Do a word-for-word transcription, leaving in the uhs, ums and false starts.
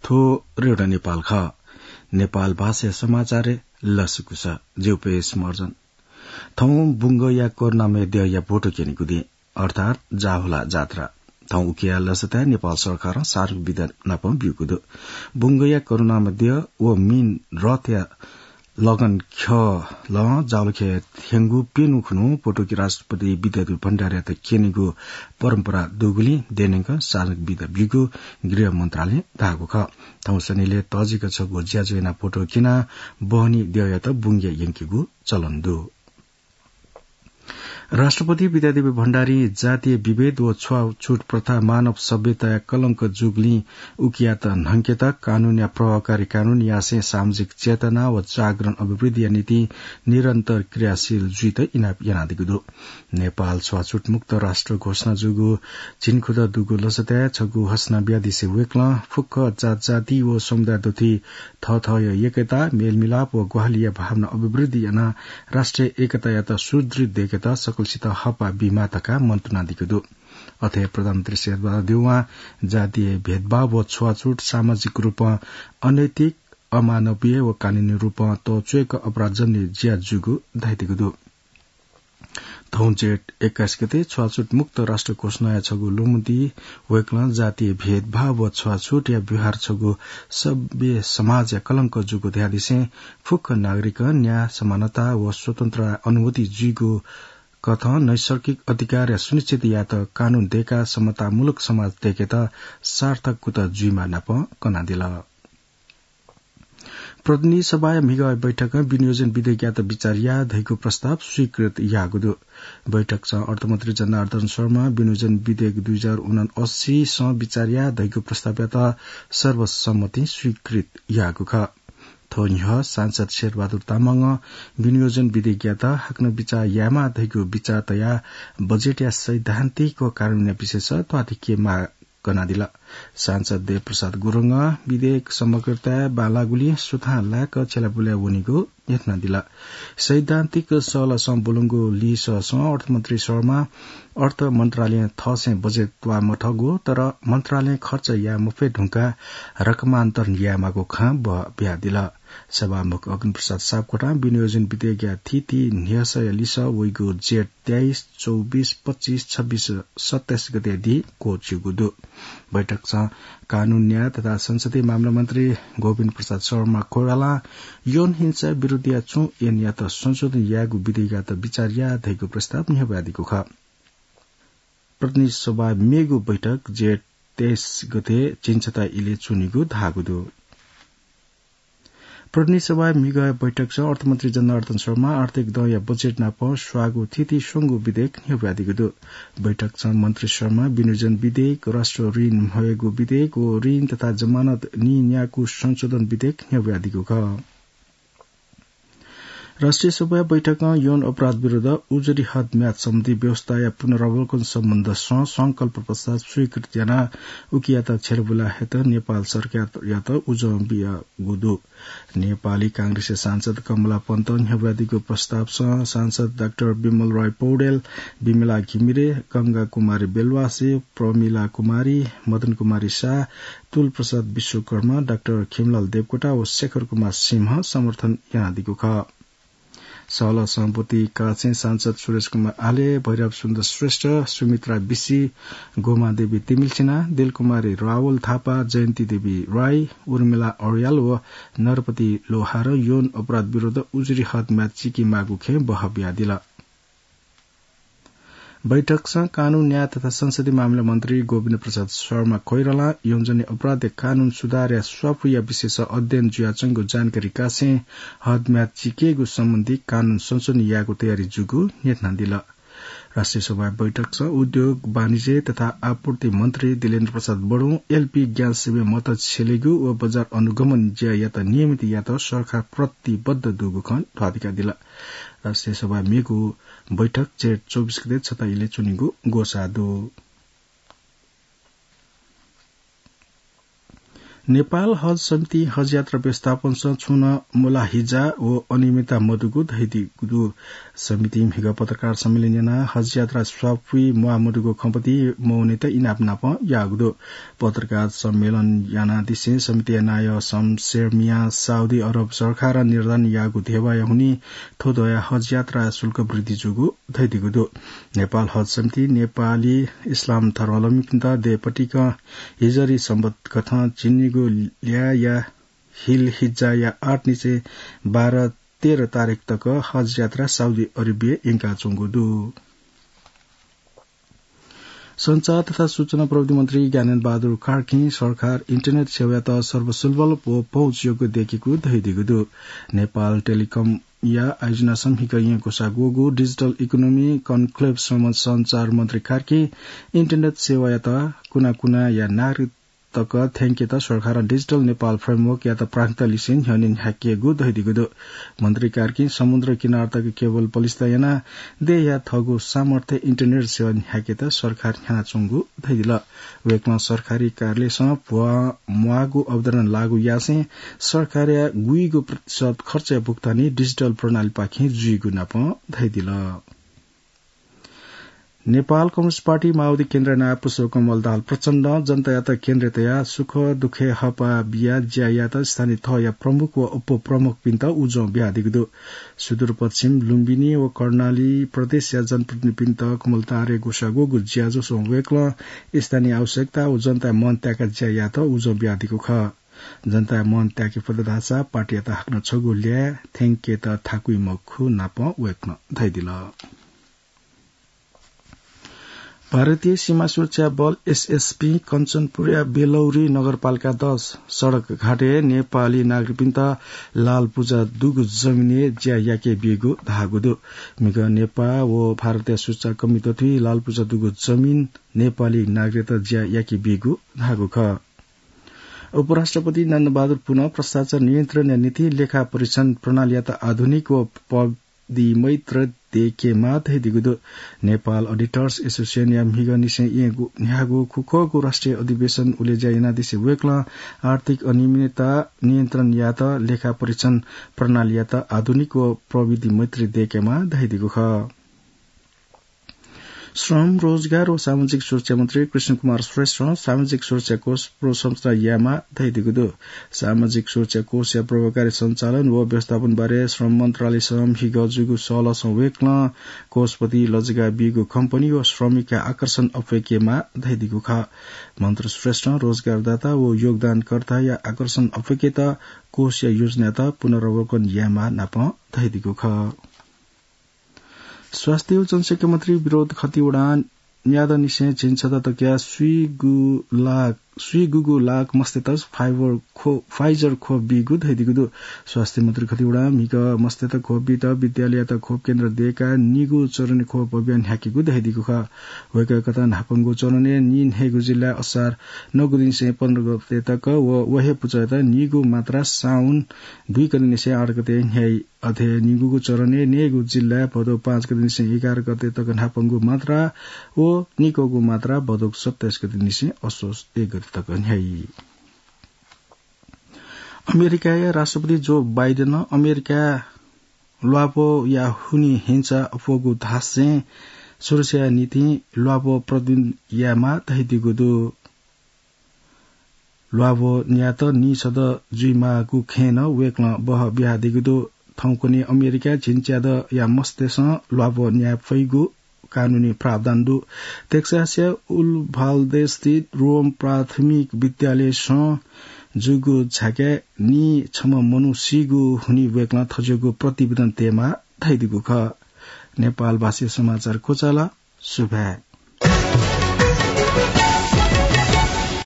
थ्व रेडियो नेपाल खः। नेपाल भाषाया समाचारय् लसकुस। ज्यू पेश मर्जन। थौं बुंगया करुणामय द्यःया भोटो क्यनेगु दिं, अर्थात् जाहुला जात्रा। थौं उकिया लसताय् नेपाल सरकारं सार्वजनिक विदा नाप ब्यूगु दु। बुंगया करुणामय द्यः व मीन रथया लगन ख्यलं जालखे थ्यंगु प्यन्हु खुन्हु पोटुकी राष्ट्रपति विद्यादेवी भण्डारीयात क्यनेगु परम्परा दुगुलिं देनेंक सार्वजनिक विदा ब्यूगु गृह मन्त्रालयं धाःगु खः। थौं सनिलय् तःजिक छगू ज्याझ्वः यानाः पोटो क्यनाः बहनी द्यःयात बुंगे यंकेगु चलन दु। राष्ट्रपति विद्यादेवी भण्डारीं जातीय विभेद व छुवाछुत प्रथा मानव सभ्यताया कलंक जूगुलिं उकियात न्हंकेत कानूनया प्रभावकारी कानून यासें सामाजिक चेतना व जागरण अभिवृद्धिया निंतिं निरन्तर क्रियाशील जुइत इनाप यानादीगु दु। नेपाल छुवाछुत मुक्त राष्ट्र घोषणा जूगु झिंखुदँ दुगु लसताय् छगू घोषणा बियादिसे वय्कलं फुक्क जातजाति व समुदाय दथुइ थःथःया एकता, मेलमिलाप व ग्वाहालिया भावना अभिवृद्धि यानाः राष्ट्रिय एकतायात सुदृढ दय्केत सकलसित हःपाः बीमाः धकाः मन्तुनादीगु दु। अथे प्रधानमन्त्री शेरबहादुर देउवां जातीय भेदभाव व छुवाछुत सामाजिक रूपं अनैतिक, अमानवीय व कानूनी रूपं तःच्वय्क अपराधजन्य ज्या जूगु धयादीगु दु। थौं जेठ एक्काइस गते छुवाछुत मुक्त राष्ट्र घोषणाया छगू ल्वःमंति वय्कलं जातीय भेदभाव व छुवाछुतया व्यवहार छगू सभ्य समाजया कलंक जूगु धयादिसें फुक्क नागरिकं न्याय, समानता व स्वतन्त्रताया अनुभूति जुइगु कथं नैसर्गिक अधिकारया सुनिश्चित यायेत कानून दय्काः समतामूलक समाज दय्केत सार्थक कुतः जुइमाः नाप कनादिल। प्रतिनिधि सभाया म्हिगः बैठकं विनियोजन विधेयकयात विचार याः धइगु प्रस्ताव स्वीकृत याःगु दु। बैठकसं अर्थमन्त्री जनार्दन शर्मा विनियोजन विधेयक दुई हजार उनासी सं विचार याः धइगु प्रस्तावयात सर्वसम्मतिं स्वीकृत याःगु खः। थ्व न्ह्यः सांसद शेरबहादुर तामाङं विनियोजन विधेयकयात हाकनं विचार यायेमाः धइगु विचार तयाः बजेटया सैद्धान्तिक व कानूनया विषयस त्वाःधिके माग कनादिल। सांसद देवप्रसाद गुरुङं विधेयक समग्रताय् बांलाःगुलिं सुथां लाय्क छ्यलाबुलाय् वनीगु न्ह्यथनादिल। सैद्धान्तिक सहलसं ब्वलंगु लिससं अर्थमन्त्री शर्मां अर्थ मन्त्रालयं थःसें बजेट त्वाःमथःगु, तर मन्त्रालयं खर्च याये मफये धुंकाः रकमान्तरण यायेमाःगु खँ बहबियादिल। सभामुख अग्निप्रसाद सापकोटां विनियोजन विधेयकया थीथी न्ह्यसःया लिसः वइगु जेठ तेइस, चौबिस, पच्चिस, छब्बिस, सत्ताइस गते दी क्वःछिउगु दु। बैठकसं कानून, न्याय तथा संसदीय मामला मन्त्री गोविन्द प्रसाद शर्मा कोइरालां यौन हिंसा विरुद्धया छुं ऐनयात संशोधन यायेगु विधेयकयात विचार याः धइगु प्रस्ताव न्ह्यब्वयादीगु खः। प्रतिनिधि सभा मेगु बैठक जेठ तेइस गते झिंछता इलय् च्वनीगु धाःगु दु। प्रतिनिधि सभाया म्हिगःया बैठकसं अर्थमन्त्री जनार्दन शर्मां आर्थिक दँया बजेट नाप स्वाःगु थीथी स्वंगू विधेयक न्ह्यब्वयादीगु दु। बैठकसं मन्त्री शर्मां विनियोजन विधेयक, राष्ट्र ऋण म्हयेगु विधेयक व ऋण तथा जमानत नीन्यायेगु संशोधन विधेयक न्ह्यब्वयादीगु खः। राष्ट्रिय सभाया बैठकं यौन अपराध विरुद्ध उजुरी हद म्याद सम्बन्धी व्यवस्थाया पुनरावलोकन सम्बन्धसं संकल्प प्रस्ताव स्वीकृत यानाः उकियात छ्यलाबुलाय् हयेत नेपाल सरकारयात उजं बियागु दु। नेपाली कांग्रेसया सांसद कमला पन्तं न्ह्यब्वयादीगु प्रस्तावसं सांसद डाक्टर विमल राय पौडेल, विमला घिमिरे, गंगा कुमारी बेलवासी, प्रमिला कुमारी, मदन कुमारी शाह, तुल प्रसाद विश्वकर्मा, डाक्टर खिमलाल देवकोटा व शेखर कुमार सिंहं समर्थन यानादीगु खः। सहलह सभापति कालसें सांसद सुरेश कुमार आले, भैरव सुन्दर श्रेष्ठ, सुमित्रा बिसी, गोमा देवी तिमिल्सिना, दिलकुमारी रावल थापा, जयन्ती देवी राई, उर्मिला अर्याल व नरपति लोहारं यौन अपराध विरुद्ध उजुरी हद म्याद चिके माःगु खँय् बहबियादिल। बैठकसं कानून, न्याय तथा संसदीय मामिला मन्त्री गोविन्द प्रसाद शर्मा कोइरालां यौनजन्य अपराध कानून सुधारया स्वापूया विषयस अध्ययन जुयाच्वंगु जानकारी कासें हद म्याद चिकेगु सम्बन्धी कानून संशोधन यायेगु तयारी जूगु न्ह्यथनादिल। राष्ट्रिय सभा बैठकसं उद्योग, वाणिज्य तथा आपूर्ति मन्त्री दिलेन्द्र प्रसाद बडुं एलपी ग्यास सेवय् मत छ्यलेगु व बजार अनुगमन ज्यायात नियमित यायेत सरकार प्रतिबद्ध दुगु खँ ध्वाबिकादिल। राष्ट्रिय सभा मेगु बैठक जेठ चौबिस गते छता इलय् च्वनीगु ग्वसाः दु। नेपाल हज समिति हज यात्रा व्यवस्थापनसं छुं नं मुलाहिजा व अनियमितता मदुगु धयादीगु दु। समितिं म्हिगः पत्रकार सम्मेलन यानाः हज यात्रा स्वापुइ म्वाः मदुगु खँपति मवनेत इनाप नापं याःगु दु। पत्रकार सम्मेलन यानादिसें समितिया नायः शमशेर मियां साउदी अरब सरकारं निर्धारण याःगु धेबाया हुनिं थ्व दँया हज यात्रा शुल्क वृद्धि जूगु धयादीगु दु। नेपाल हज समिति नेपाली इस्लाम धर्मावलम्बीपिन्त देय् पतिकं हिजरी संवत कथं झिंनिगू ल्याःया हिल हिज्जाया आठ निसें बाह्र तेह्र तारिख तक हज यात्रा साउदी अरेबियाय् यंकाच्वंगु दु। सञ्चार तथा सूचना प्रविधि मन्त्री ज्ञानेन्द्र बहादुर कार्कीं सरकार इन्टरनेट सेवायात सर्वसुलभ व पहुँचयोग्य दयेकेगु धयादीगु दु। नेपाल टेलिकमया आयोजनासं म्हिगः येँ ग्वसाः ग्वःगु डिजिटल इकोनोमी कन्क्लेभ समय् सञ्चार मन्त्री कार्कीं इन्टरनेट सेवायात कुना कुनाया नागरिक तक थ्यंकेत सरकारं डिजिटल नेपाल फ्रेमवर्कयात प्राथमिकता लिसें न्ह्यःने न्ह्याकेगु धयादीगु दु। मन्त्री कार्कीं समुद्र किनार तक केबल पलिस्था यानाः देय्‌या थःगु सामर्थ्य इन्टरनेट सेवा न्ह्याकेत सरकार न्ह्यानाच्वंगु धयादिल। वय्‌कलं सरकारी कार्यालयसं भ्वां म्वाःगु अवधारणा लागू यासें सरकारया गुइगु प्रतिशत खर्चया भुक्तानी डिजिटल प्रणालीपाखें जुइगु नापं धयादिल। नेपाल कम्युनिस्ट पार्टी माओवादी केन्द्रया नायः पुष्पकमल दाहाल प्रचण्डं जनतायात केन्द्रय् तयाः सुख दुःखय् हःपाः बियाः ज्या यायेत स्थानीय तहया प्रमुख व उपप्रमुखपिन्त उजं बियादीगु दु। सुदूरपश्चिम लुम्बिनी व कर्णाली प्रदेशया जनप्रतिनिधिपिन्त कमल दाहालया ग्वसाः ग्वःगु ज्याझ्वलय् वय्‌कलं स्थानीय आवश्यकता व जनताया मन त्याकाः ज्या यायेत उजं बियादीगु खः। जनताया मन त्याके फत धाःसा पार्टीयात हाकनं छगू ल्याः थ्यंकेत थाकुइ मखु नापं वय्‌कलं धयादिल। भारतीय सीमा सुरक्षा बल, एसएसबी, कञ्चनपुरया बेलौरी नगरपालिका दस सडकघाटय् नेपाली नागरिकपिन्त लालपुर्जा दुगु जमिनय् ज्या याके बीगु धाःगु दु। म्हिगः नेपाः व भारतया सुरक्षा कर्मी दथुइ लालपुर्जा दुगु जमिन नेपाली नागरिकत ज्या याके बीगु धाःगु खः। उपराष्ट्रपति नन्दबहादुर पुनं भ्रष्टाचार नियन्त्रणया निंतिं लेखा परीक्षण प्रणालीयात आधुनिक व प्रविधि मैत्र दयेकेमाः धयादीगु दु। नेपाल अडिटर्स एसोसिएसनया म्हिगःनिसें येँय् न्ह्याःगु खुखुगू राष्ट्रिय अधिवेशन उलेज्या यानादिसें वय्‌कलं आर्थिक अनियमितता नियन्त्रण यायेत लेखा परीक्षण प्रणालीयात आधुनिक व प्रविधि मैत्री दयेकेमाः धयादीगु खः। श्रम, रोजगार व सामाजिक सुरक्षा मन्त्री कृष्ण कुमार श्रेष्ठं सामाजिक सुरक्षा कोष पुनर्संरचना यायेमाः धयादीगु दु। सामाजिक सुरक्षा कोषया प्रभावकारी सञ्चालन व व्यवस्थापन बारे श्रम मन्त्रालयसं म्हिगः जूगु सहलहसं वय्‌कलं कोषपति लजगाः बीगु कम्पनी व श्रमिकया आकर्षण अप्वय्‌केमाः धयादीगु खः। मन्त्री श्रेष्ठं रोजगारदाता व योगदानकर्ताया आकर्षण अप्वय्‌केत कोषया योजनायात पुनरावलोकन यायेमाः नापं धयादीगु खः। स्वास्थ्य व जनसंख्या मन्त्री विनोद खतिवडां न्यादँनिसें झिंछदँ तकया स्वीगू लाख, स्वीगूगू लाख मस्तय्‌त फाइबर खो-, Pfizer खोप बीगु धयादीगु दु। स्वास्थ्य मन्त्री खतिवडां म्हिगः मस्तय्‌त खोप बीत विद्यालययात खोप केन्द्र दयेकाः निगू चरणय् खोप अभियान न्ह्याकेगु धयादीगु खः। वय्‌कः कथं न्हापांगु चरणय् नीन्हय्‌गू जिल्लाय् असार नौगु दिनसें पन्ध्र गते तक व व हे पुचःयात निगू मात्रा साउन दुई गतेनिसें आठ गते न्ह्याइ। अथे निगूगु चरणय् नयेगु जिल्लाय् भदौ पाँच गतेनिसें एघार गते तक न्हापांगु मात्रा व निकःगु मात्रा भदौ सत्ताइस गतेनिसें असोज एक गते तक न्ह्याइ। अमेरिकाया राष्ट्रपति जो बाइडेनं अमेरिकाय् ल्वाभोया हुनिं हिंसा अप्वःगु धासें सुरक्षाया निंतिं ल्वाभो प्रबन्धन यायेमाः धयादीगु दु। ल्वाभो न्यायेत नीछदँ जुइमाःगु खँय् नं वय्‌कलं बहः बियादीगु दु। थौंकन्हय् अमेरिकाय् झिंच्यादँया मस्तय्‌सं ल्वाभो न्याये फइगु कानूनी प्रावधान दु। टेक्सासया उभाल्दे स्थित रोम प्राथमिक विद्यालयसं जूगु झाँक्रिया नीछम्ह मनू सीगु हुनिं वय्‌कलं थज्याःगु प्रतिवेदन तयेमाः धयादीगु खः। नेपालभाषी समाचार क्वचाल। सुभाय्।